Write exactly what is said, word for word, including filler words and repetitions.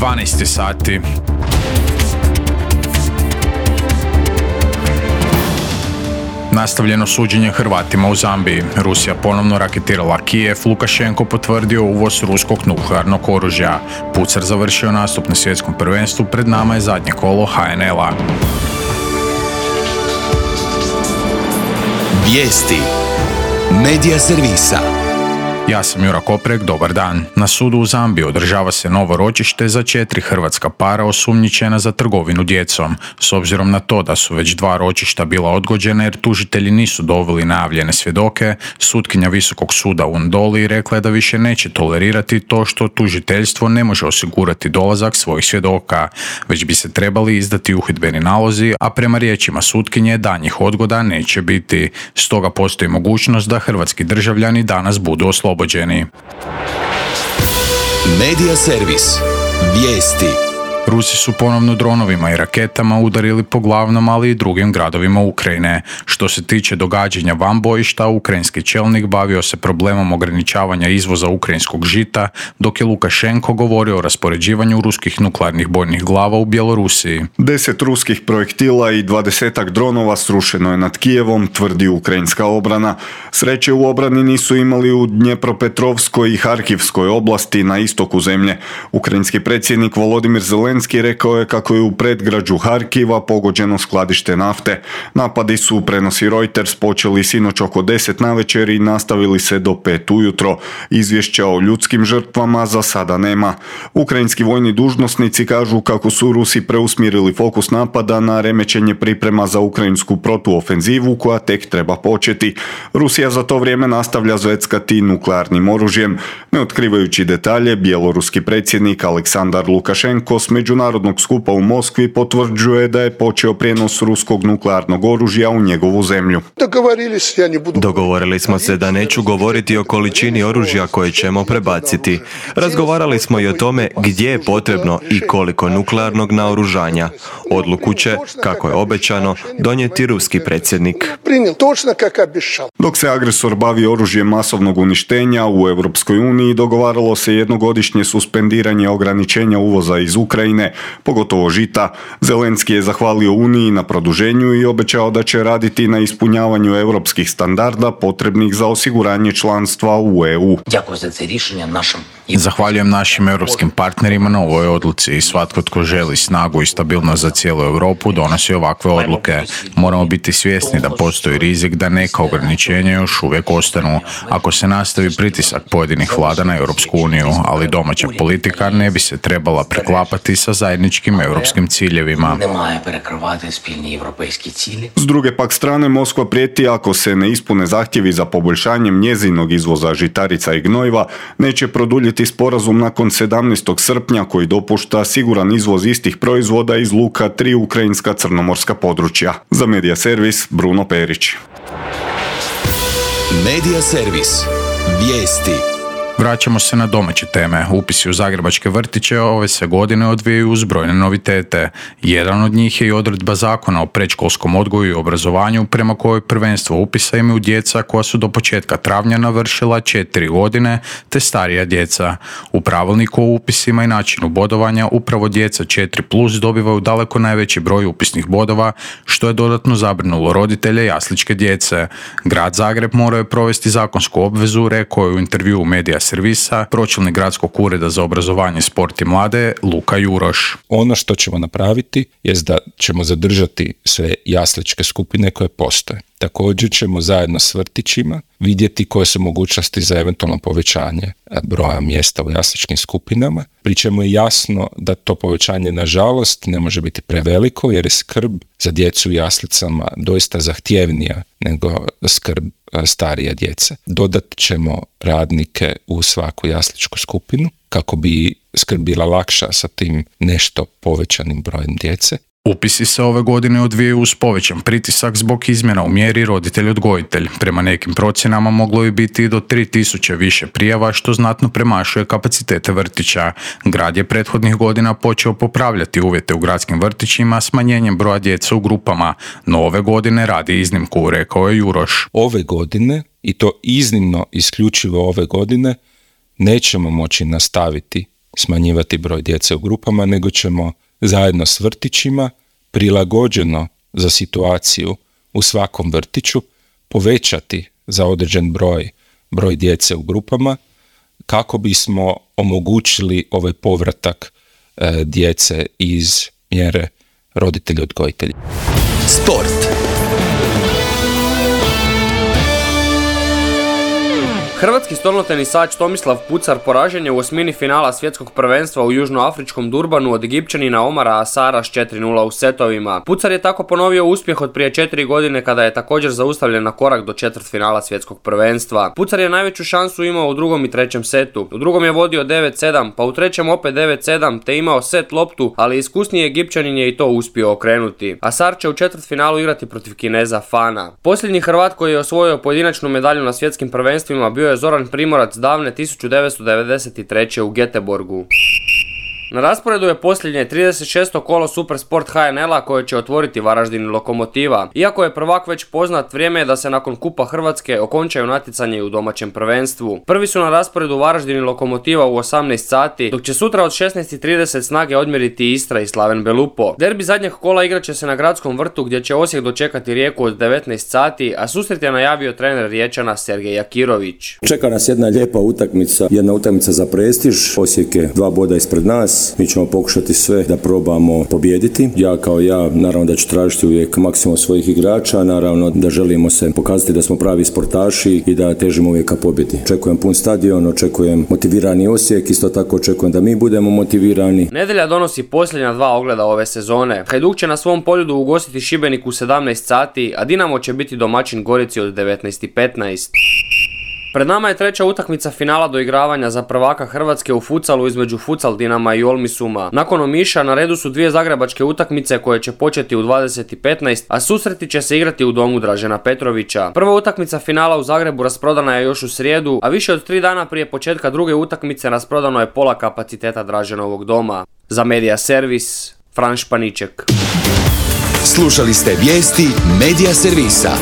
dvanaest sati. Nastavljeno suđenje Hrvatima u Zambiji. Rusija ponovno raketirala Kijev, Lukašenko potvrdio uvoz ruskog nuklearnog oružja. Pucar završio nastup na svjetskom prvenstvu, pred nama je zadnje kolo ha en el-a. Vijesti Medija servisa. Ja sam Jura Koprek, dobar dan. Na sudu u Zambiji održava se novo ročište za četiri hrvatska para osumnjičena za trgovinu djecom. S obzirom na to da su već dva ročišta bila odgođena jer tužitelji nisu doveli najavljene svjedoke, sutkinja Visokog suda u Ndoli rekla je da više neće tolerirati to što tužiteljstvo ne može osigurati dolazak svojih svjedoka, već bi se trebali izdati uhidbeni nalozi, a prema riječima sutkinje danjih odgoda neće biti. Stoga postoji mogućnost da hrvatski državljani danas budu oslobođeni. Medija servis. Vijesti. Rusi su ponovno dronovima i raketama udarili po glavnom, ali i drugim gradovima Ukrajine. Što se tiče događanja van bojišta, ukrajinski čelnik bavio se problemom ograničavanja izvoza ukrajinskog žita, dok je Lukašenko govorio o raspoređivanju ruskih nuklearnih bojnih glava u Bjelorusiji. Deset ruskih projektila i dvadesetak dronova srušeno je nad Kijevom, tvrdi ukrajinska obrana. Sreće u obrani nisu imali u Dnjepropetrovskoj i Harkivskoj oblasti na istoku zemlje. Ukrajinski predsjednik Volodimir Zelenski rekao je kako je u predgrađu Harkiva pogođeno skladište nafte. Napadi su, prenosi Reuters, počeli sinoć oko deset navečer i nastavili se do pet ujutro. Izvješća o ljudskim žrtvama za sada nema. Ukrajinski vojni dužnosnici kažu kako su Rusi preusmjerili fokus napada na remećenje priprema za ukrajinsku protuofenzivu koja tek treba početi. Rusija za to vrijeme nastavlja zveckati nuklearnim oružjem. Ne otkrivajući detalje, bjeloruski predsjednik Aleksandar Lukašenko s međunarodnog skupa u Moskvi potvrđuje da je počeo prijenos ruskog nuklearnog oružja u njegovu zemlju. Dogovorili smo se da neću govoriti o količini oružja koje ćemo prebaciti. Razgovarali smo i o tome gdje je potrebno i koliko nuklearnog naoružanja. Odluku će, kako je obećano, donijeti ruski predsjednik. Dok se agresor bavi oružjem masovnog uništenja, u Europskoj uniji dogovaralo se jednogodišnje suspendiranje ograničenja uvoza iz Ukrajine, pogotovo žita. Zelenski je zahvalio Uniji na produženju i obećao da će raditi na ispunjavanju europskih standarda potrebnih za osiguranje članstva u e u. Zahvaljujem našim europskim partnerima na ovoj odluci i svatko tko želi snagu i stabilnost za cijelu Europu donosi ovakve odluke. Moramo biti svjesni da postoji rizik da neka ograničenja još uvijek ostanu ako se nastavi pritisak pojedinih vlada na Europsku uniju, ali domaća politika ne bi se trebala preklapati sa zajedničkim europskim ciljevima. S druge pak strane, Moskva prijeti ako se ne ispune zahtjevi za poboljšanjem njezinog izvoza žitarica i gnojiva, neće produljiti sporazum nakon sedamnaestog srpnja koji dopušta siguran izvoz istih proizvoda iz luka tri ukrajinska crnomorska područja. Za Medija servis, Bruno Perić. Medija servis. Vijesti. Vraćamo se na domaće teme. Upisi u zagrebačke vrtiće ove se godine odvijaju uz brojne novitete. Jedan od njih je i odredba zakona o predškolskom odgoju i obrazovanju prema kojoj prvenstvo upisa imaju djeca koja su do početka travnja navršila četiri godine te starija djeca. U pravilniku o upisima i načinu bodovanja upravo djeca četiri plus dobivaju daleko najveći broj upisnih bodova, što je dodatno zabrinulo roditelje jasličke djece. Grad Zagreb morao je provesti zakonsku obvezu, rekao je u intervjuu Medija servisa pročelnik gradskog ureda za obrazovanje, sport i mlade Luka Juroš. Ono što ćemo napraviti je da ćemo zadržati sve jasličke skupine koje postoje. Također ćemo zajedno s vrtićima vidjeti koje su mogućnosti za eventualno povećanje broja mjesta u jasličkim skupinama. Pri čemu je jasno da to povećanje nažalost ne može biti preveliko jer je skrb za djecu u jaslicama doista zahtjevnija nego skrb starija djece. Dodat ćemo radnike u svaku jasličku skupinu kako bi skrb bila lakša sa tim nešto povećanim brojem djece. Upisi se ove godine odvijaju uz povećan pritisak zbog izmjena u mjeri roditelj-odgojitelj. Prema nekim procjenama moglo je biti do tri tisuće više prijava, što znatno premašuje kapacitete vrtića. Grad je prethodnih godina počeo popravljati uvjete u gradskim vrtićima smanjenjem broja djece u grupama, no ove godine radi iznimku, rekao je Juroš. Ove godine, i to iznimno isključivo ove godine, nećemo moći nastaviti smanjivati broj djece u grupama, nego ćemo zajedno s vrtićima, prilagođeno za situaciju u svakom vrtiću, povećati za određen broj, broj djece u grupama, kako bismo omogućili ovaj povratak e, djece iz mjere roditelji odgojitelji. Sport. Hrvatski stolnotenisač Tomislav Pucar poražen je u osmini finala svjetskog prvenstva u južnoafričkom Durbanu od Egipćanina Omara Asara s četiri nula u setovima. Pucar je tako ponovio uspjeh od prije četiri godine kada je također zaustavljen na korak do četvrtfinala svjetskog prvenstva. Pucar je najveću šansu imao u drugom i trećem setu. U drugom je vodio devet sedam, pa u trećem opet devet sedam te imao set loptu, ali iskusniji Egipćanin je i to uspio okrenuti. Asar će u četvrtfinalu igrati protiv Kineza Fana. Posljednji Hrvat koji je osvojio pojedinačnu medalju na svjetskim prvenstvima bio je Zoran Primorac davne tisuću devetsto devedeset treće u Göteborgu. Na rasporedu je posljednje trideset šesto kolo Supersport H N L-a koje će otvoriti Varaždin i Lokomotiva. Iako je prvak već poznat, vrijeme je da se nakon Kupa Hrvatske okončaju natjecanje i u domaćem prvenstvu. Prvi su na rasporedu Varaždin i Lokomotiva u osamnaest sati, dok će sutra od šesnaest i trideset snage odmjeriti Istra i Slaven Belupo. Derbi zadnjeg kola igrat će se na Gradskom vrtu gdje će Osijek dočekati Rijeku od devetnaest sati, a susret je najavio trener Riječana Sergej Jakirović. Čeka nas jedna lijepa utakmica, jedna utakmica za prestiž. Osijek je dva boda ispred nas. Mi ćemo pokušati sve da probamo pobijediti. Ja kao ja, naravno da ću tražiti uvijek maksimum svojih igrača, naravno da želimo se pokazati da smo pravi sportaši i da težimo uvijek ka pobjedi. Očekujem pun stadion, očekujem motivirani Osijek, isto tako očekujem da mi budemo motivirani. Nedjelja donosi posljednja dva ogleda ove sezone. Hajduk će na svom poljudu ugostiti Šibenik u sedamnaest sati, a Dinamo će biti domaćin Gorici od devetnaest i petnaest. Pred nama je treća utakmica finala doigravanja za prvaka Hrvatske u futsalu između Futsal Dinama i Olmisuma. Nakon Omiša na redu su dvije zagrebačke utakmice koje će početi u dvadeset i petnaest, a susreti će se igrati u domu Dražena Petrovića. Prva utakmica finala u Zagrebu rasprodana je još u srijedu, a više od tri dana prije početka druge utakmice rasprodano je pola kapaciteta Draženovog doma. Za Media Servis, Fran Španiček. Slušali ste vijesti Media Servisa.